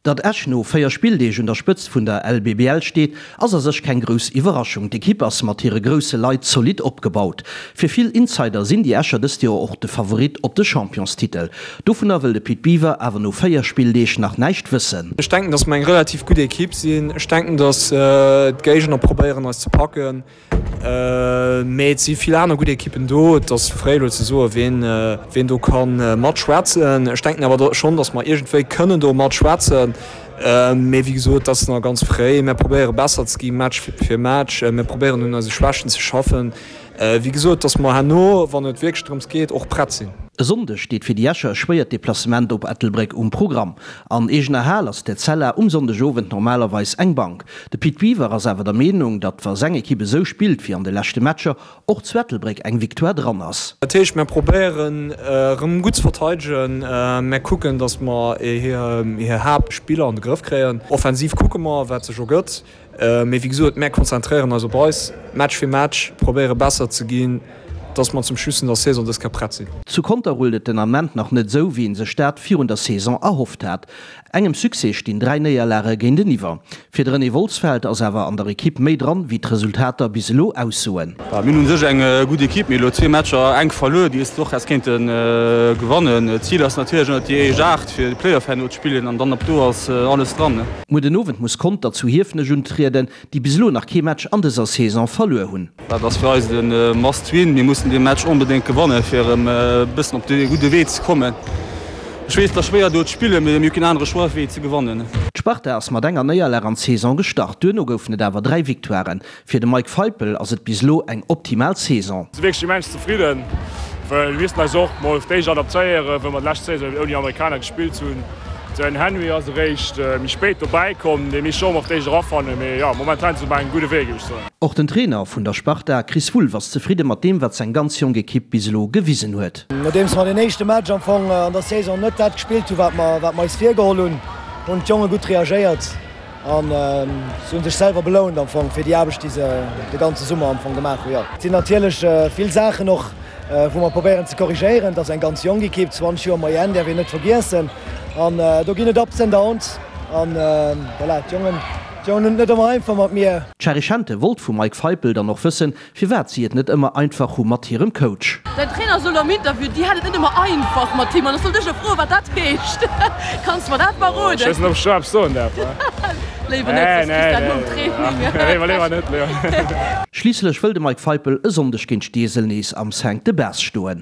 Datt Esch no 4 Spilldeeg un der Spëtzt vun der LBBL steet, ass a sech keng grouss Iwwerraschung. D'Ekipp ass mat hire grousse Leit zolidd opgebaut. Fir vill Insider sinn déi Escher dëst Joer och de Favorit op de Championstitel. Dovunner wëll de Pit Biwer awer no 4 Spilldeeg nach näischt wëssen. Ech denken, datt mer eng relativ gutt Ekipp sinn. Ech denken, datt d'Géigner probéieren eis ze packen. Mee et si vill aner gutt Ekippen do. Et ass fréi elo ze soen, ween, ween do ka matschwätzen. Ech denken awer schonn, datt mer iergendwéi kënnen do matschwätzen. Mee wéi gesot, et ass nach ganz fréi. Mir probéiere besser ze gi Match fir Match. Mir probéieren un eise Schwächten ze schaffen. Wéi gesot, datt mer herno, wann et wierklech drëms geet, och prett sinn. E Sonndeg steet fir déi Escher e schwéiert Deplacement op Ettelbréck um Programm. An eegener Hal ass d'Etzella um Sonndegowend normalerweis eng Bank. De Pit Biwer ass awer der Meenung, datt wa seng Ekipp esou spillt wéi an de leschte Matcher, och zu Ettelbréck eng Victoire dran ass. Dat heescht, mir probéieren erëm gutt ze verteidegen, mir kucken, datt mer hir Haaptspiller an de Grëff kréien. Offensiv kucke mer, wat sech ergëtt. Mee wéi gesot, mär konzentréieren eis op eis, Match fir Match, probéiere besser ze ginn, dass mer zum Schluss vun der Saison dës Kéier prett sinn. Zu Conter rullt et den Ament nach net esou, wéi ee sech dat virun der Saison erhofft hat. Engem Succès stinn 3 Néierlage géinteniwwer. Fir de René Wolsfeld ass awer an der Ekipp méi dran, wéi d'Resultater bis elo aussoen. Mir hunn u sech eng gutt Ekipp. Mir hu elo zwee Matcher enk verluer, déi s de och häss kéinte gewannen. D'Zil ass natierlech ënnert déi éischt 8 fir de Playoff herno ze spillen an dann ab do ass alles dran. Muer den Owend muss Conter zu Hiefenech untrieden, déi bis elo nach kee Match an dëser Saison verluer hunn. Dat ass fir eis de Must Win. Mir mussen dee Match onbedéngt gewannen, fir erëm e bëssen op de gudde Wee ze kommen. Ech weess, et ass schwéier do ze spillen, mee mir hu keen anere Choix wéi ze gewannen. D'Sparta ass mat enger Néierlag an d'Saison gestart. Duerno goufen et awer 3 Victoiren. Fir de Mike Feipel ass et bis elo eng optimal Saison. Si wierklech immens zefridden, well mir missten eis och mol d'éischt adaptéieren, wou mer d'lescht Saison ouni Amerikaner gespillt hunn. Den Henry ass eréischt méi spéit dobäi komm, dee misst scho mol op d'éischt erafannen, mee jo, momentan si se op engem gudde Wee, géif ech soen. Och den Trainer vun der Sparta, Chris Wulff, ass zefridde mat deem, wat seng ganz jonk Ekipp bis elo gewisen huet. Nodeems mer den éischte Match am Fong an der Saison net dat gespillt hunn, wat mer wat mer eis virgeholl hunn, hunn d'Jonge gutt reagéiert an se hunn sech selwer belount am Fong fir déi Aarbecht, déi se de ganze Summer am Fong gemaach hunn. Jo, et sinn natierlech vill Saachen och, wou mer probéieren ze korrigéieren. Et ass eng ganz jonk Ekipp, 20 Joer Moyenne däerf een net vergiessen. An do ginn et Ups and Downs. An voilà, d'Jongen, d'Jongen hunn et net ëmmer einfach mat mir. D'Shari Schente wollt vum Mike Feipel dann och wëssen, firwat si et net ëmmer einfach hu mat hirem Coach. Däin Trainer sot am Interview, dir hätt et net ëmmer einfach mat him. An ech sollt dech elo froen, wat dat heescht. Kanns de mer dat verroden? Ech weess net, ob ech do eppes soen däerf. Léiwer net, soss kriss de dat nom Training. Léiwer net, léiwer net. Schliisslech wëll de Mike Feipel e Sonndeg géint Steesel nees am Cinq de Base stoen.